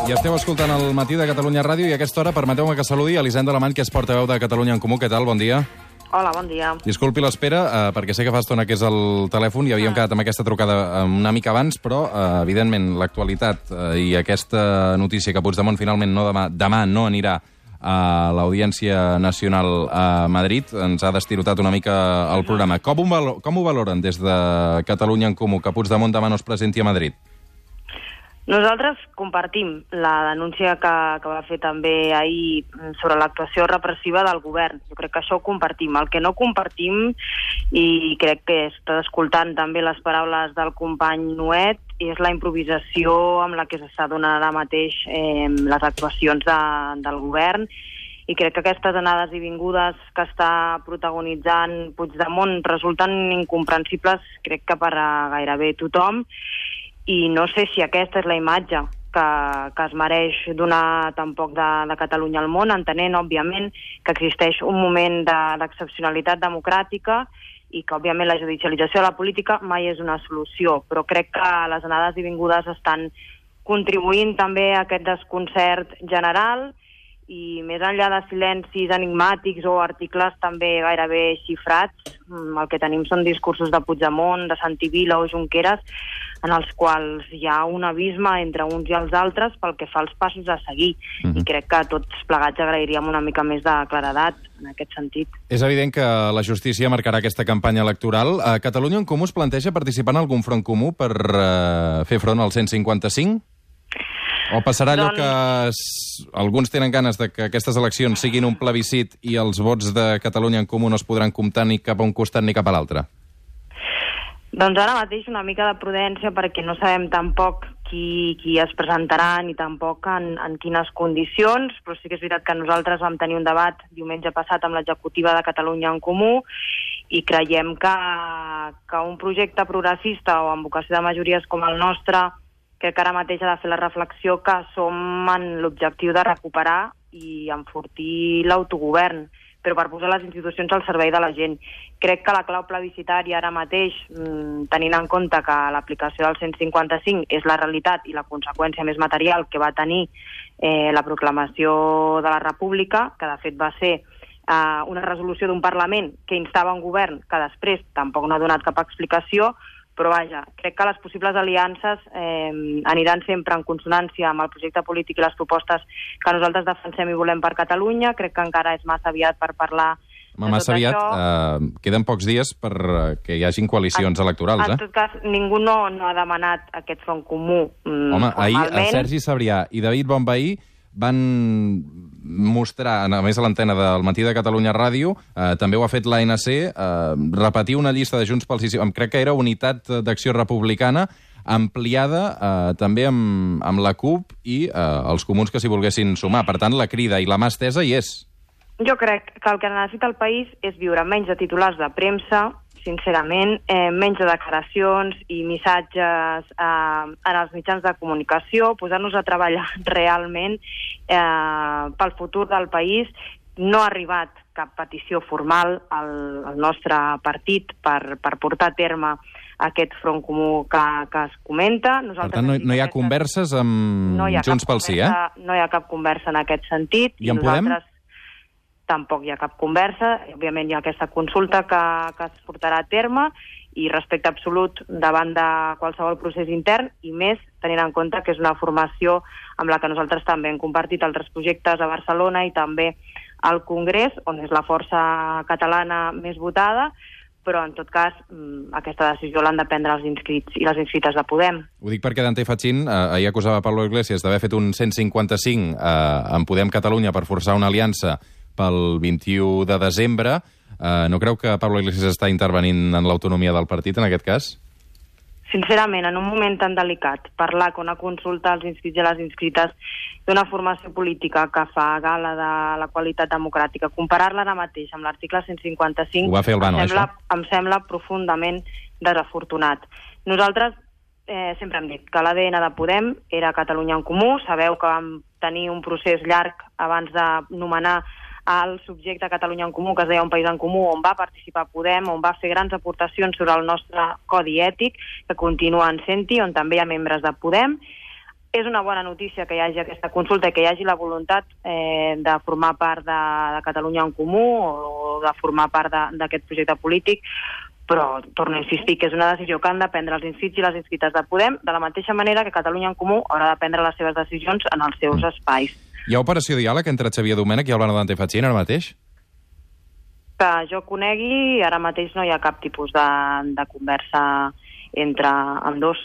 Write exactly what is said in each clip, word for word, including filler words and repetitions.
I esteu escoltant el Matí de Catalunya Ràdio i a aquesta hora permeteu-me que saludi Elisenda Alemany, que és portaveu de Catalunya en Comú. Què tal? Bon dia. Hola, bon dia. Disculpi l'espera, eh, perquè sé que fa estona que és el telèfon i havíem ah. quedat amb aquesta trucada una mica abans, però, eh, evidentment, l'actualitat eh, i aquesta notícia que Puigdemont finalment no demà, demà no anirà a l'Audiència Nacional a Madrid ens ha destirotat una mica el programa. Com ho, valo com ho valoren des de Catalunya en Comú que Puigdemont demà no es presenti a Madrid? Nosaltres compartim la denúncia que, que va fer també ahir sobre l'actuació repressiva del govern. Jo crec que això ho compartim. El que no compartim, i crec que està escoltant també les paraules del company Nuet, és la improvisació amb la que s'està donant ara mateix eh, les actuacions de, del govern, i crec que aquestes anades i vingudes que està protagonitzant Puigdemont resulten incomprensibles, crec que per a gairebé tothom, i no sé si aquesta és la imatge que, que es mereix donar tampoc de, de Catalunya al món, entenent, òbviament, que existeix un moment d'excepcionalitat de, democràtica i que, òbviament, la judicialització de la política mai és una solució, però crec que les anades i vingudes estan contribuint també a aquest desconcert general, i més enllà de silencis enigmàtics o articles també gairebé xifrats, el que tenim són discursos de Puigdemont, de Santi Vila o Junqueras, en els quals hi ha un abisme entre uns i els altres pel que fa als passos a seguir. Mm-hmm. I crec que tots plegats agrairíem una mica més de claredat en aquest sentit. És evident que la justícia marcarà aquesta campanya electoral. A Catalunya en Comú es planteja participar en algun front comú per uh, fer front al cent cinquanta cinc? O passarà allò doncs... que es... alguns tenen ganes de que aquestes eleccions siguin un plebiscit i els vots de Catalunya en Comú no es podran comptar ni cap a un costat ni cap a l'altre? Doncs ara mateix una mica de prudència, perquè no sabem tampoc qui, qui es presentarà ni tampoc en, en quines condicions, però sí que és veritat que nosaltres vam tenir un debat diumenge passat amb l'executiva de Catalunya en Comú i creiem que, que un projecte progressista o amb vocació de majories com el nostre, crec que ara mateix ha de fer la reflexió que som en l'objectiu de recuperar i enfortir l'autogovern, però per posar les institucions al servei de la gent. Crec que la clau plebiscitària ara mateix, tenint en compte que l'aplicació del cent cinquanta cinc és la realitat i la conseqüència més material que va tenir eh, la proclamació de la República, que de fet va ser eh, una resolució d'un Parlament que instava un govern que després tampoc no ha donat cap explicació, però vaja, crec que les possibles aliances eh, aniran sempre en consonància amb el projecte polític i les propostes que nosaltres defensem i volem per Catalunya. Crec que encara és massa aviat per parlar de massa tot aviat, això. Eh, queden pocs dies per que hi hagin coalicions en, electorals, eh? En tot cas, ningú no, no ha demanat aquest front comú. Mm, Home, ahir a Sergi Sabrià i David Bonvehí van mostrar, a més a l'antena del Matí de Catalunya Ràdio, eh, també ho ha fet l'A N C, eh, repetir una llista de Junts pel Sí, crec que era Unitat d'Acció Republicana, ampliada eh, també amb, amb la CUP i eh, els comuns que s'hi volguessin sumar. Per tant, la crida i la mà estesa hi és. Jo crec que el que necessita el país és viure menys de titulars de premsa, sincerament, eh, menys de declaracions i missatges eh, en els mitjans de comunicació, posar-nos a treballar realment eh, pel futur del país. No ha arribat cap petició formal al, al nostre partit per, per portar a terme aquest front comú que, que es comenta. Nosaltres, per tant, no, no hi ha converses amb no Junts pel Sí, eh? No hi ha cap conversa en aquest sentit. I en Podem? Tampoc hi ha cap conversa. Òbviament hi ha aquesta consulta que, que es portarà a terme i respecte absolut davant de qualsevol procés intern, i més tenint en compte que és una formació amb la que nosaltres també hem compartit altres projectes a Barcelona i també al Congrés, on és la força catalana més votada, però en tot cas aquesta decisió l'han de prendre els inscrits i les inscrites de Podem. Ho dic perquè Dante Fachin eh, ahir acusava Pablo Iglesias d'haver fet un cent cinquanta cinc eh, en Podem Catalunya per forçar una aliança pel vint-i-u de desembre. Eh, no creu que Pablo Iglesias està intervenint en l'autonomia del partit en aquest cas? Sincerament, en un moment tan delicat, parlar que una consulta als inscrits i a les inscrites d'una formació política que fa gala de la qualitat democràtica, comparar-la ara mateix amb l'article cent cinquanta cinc, ho va fer el Bano, em, sembla, això? em sembla profundament desafortunat. Nosaltres eh, sempre hem dit que l'A D N de Podem era Catalunya en Comú. Sabeu que vam tenir un procés llarg abans de nomenar al subjecte Catalunya en Comú, que es deia Un País en Comú, on va participar Podem, on va fer grans aportacions sobre el nostre codi ètic, que continuen sent-hi, on també hi ha membres de Podem. és una bona notícia que hi hagi aquesta consulta i que hi hagi la voluntat eh, de formar part de, de Catalunya en Comú o de formar part d'aquest projecte polític, però torno a insistir que és una decisió que han de prendre els inscrits i les inscrites de Podem, de la mateixa manera que Catalunya en Comú haurà de prendre les seves decisions en els seus espais. Hi ha operació diàleg entre Xavier Domènech i Albano Dante Fachin ara mateix? Que jo conegui, ara mateix no hi ha cap tipus de, de conversa entre ambdós.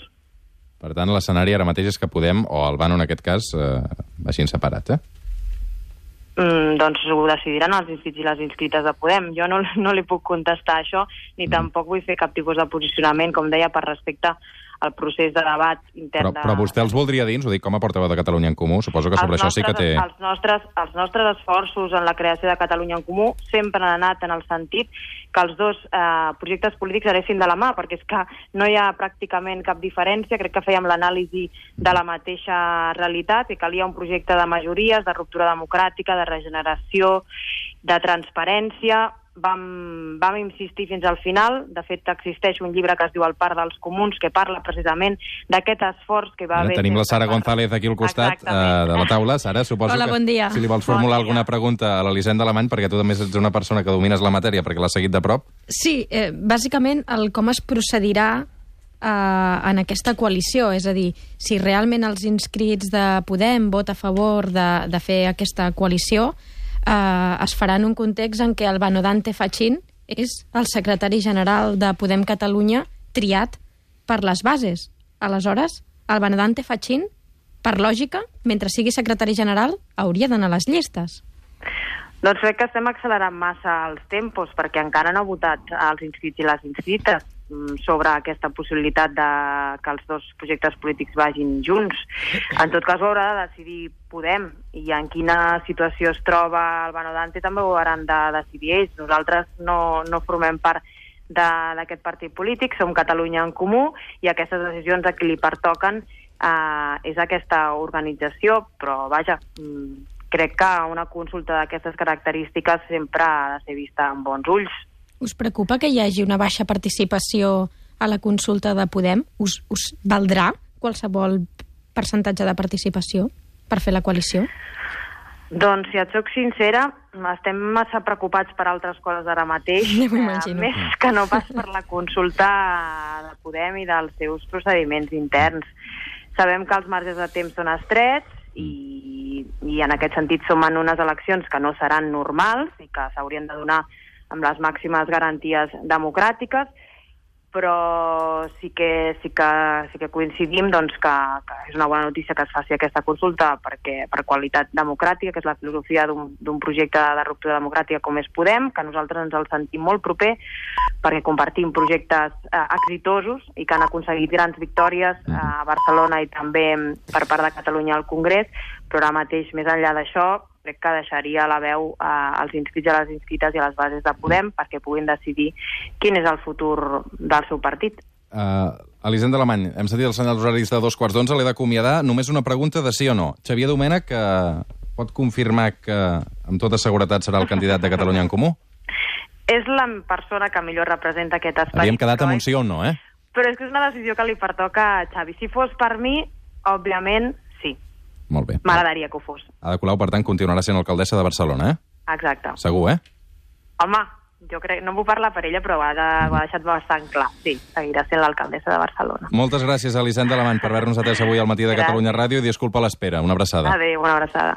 Per tant, l'escenari ara mateix és que Podem, o Albano en aquest cas, eh, vagin separats, eh? Mm, doncs ho decidiran els inscrits i les inscrites de Podem. Jo no, no li puc contestar això, ni mm. tampoc vull fer cap tipus de posicionament, com deia, per respecte al procés de debat intern. Però, però vostè els voldria dins, ho dic com a portaveu de Catalunya en Comú, suposo que sobre els això nostres, sí que té... Els nostres, els nostres esforços en la creació de Catalunya en Comú sempre han anat en el sentit que els dos eh, projectes polítics anessin de la mà, perquè és que no hi ha pràcticament cap diferència, crec que fèiem l'anàlisi de la mateixa realitat, i calia un projecte de majories, de ruptura democràtica, de regeneració, de transparència. Vam, vam insistir fins al final. De fet, existeix un llibre que es diu El Parc dels Comuns, que parla precisament d'aquest esforç que va haver... Tenim la Sara González aquí al costat eh, de la taula. Sara, suposo Hola, bon dia. que si li vols formular bon alguna pregunta a l'Elisenda Alemany, perquè tu també ets una persona que domines la matèria, perquè l'has seguit de prop. Sí, eh, bàsicament el com es procedirà eh, en aquesta coalició, és a dir, si realment els inscrits de Podem vota a favor de, de fer aquesta coalició, Uh, es farà en un context en què Albano Dante Fachin és el secretari general de Podem Catalunya triat per les bases. Aleshores, Albano Dante Fachin, per lògica, mentre sigui secretari general, hauria d'anar a les llistes. Doncs crec que estem accelerant massa els tempos, perquè encara no ha votat els inscrits i les inscrites sobre aquesta possibilitat de que els dos projectes polítics vagin junts. En tot cas ho haurà de decidir Podem, i en quina situació es troba Albano Dante també ho hauran de decidir ells. Nosaltres no, no formem part d'aquest partit polític, som Catalunya en Comú, i aquestes decisions a qui li pertoquen eh, és aquesta organització, però vaja, crec que una consulta d'aquestes característiques sempre ha de ser vista amb bons ulls. Us preocupa que hi hagi una baixa participació a la consulta de Podem? Us, us valdrà qualsevol percentatge de participació per fer la coalició? Doncs, si et soc sincera, estem massa preocupats per altres coses ara mateix, eh, més que no pas per la consulta de Podem i dels seus procediments interns. Sabem que els marges de temps són estrets i, i en aquest sentit som en unes eleccions que no seran normals i que s'haurien de donar amb les màximes garanties democràtiques, però sí que, sí que, sí que coincidim doncs, que, que és una bona notícia que es faci aquesta consulta perquè per qualitat democràtica, que és la filosofia d'un projecte de ruptura democràtica com és Podem, que nosaltres ens el sentim molt proper perquè compartim projectes eh, exitosos i que han aconseguit grans victòries eh, a Barcelona i també per part de Catalunya al Congrés, però ara mateix, més enllà d'això, crec que deixaria la veu eh, als inscrits i a les inscrites i a les bases de Podem perquè puguin decidir quin és el futur del seu partit. Uh, Elisenda Alemany, hem sentit els senyals horaris de dos quarts d'onze, l'he d'acomiadar. Només una pregunta de sí o no. Xavier Domènech uh, pot confirmar que amb tota seguretat serà el candidat de Catalunya en Comú? És la persona que millor representa aquest espai. Havíem quedat amb un sí o un no, eh? Però és que és una decisió que li pertoca a Xavi. Si fos per mi, òbviament, sí. Molt bé. M'agradaria que ho fos. Ada Colau, per tant, continuarà sent alcaldessa de Barcelona, eh? Exacte. Segur, eh? Home, jo crec, no vull parlar per ella, però ho ha, de, ho ha deixat bastant clar. Sí, seguirà sent l'alcaldessa de Barcelona. Moltes gràcies, Elisenda Alemany, per haver-nos atès avui al matí de Catalunya Ràdio i disculpa l'espera. Una abraçada. Adéu, una abraçada.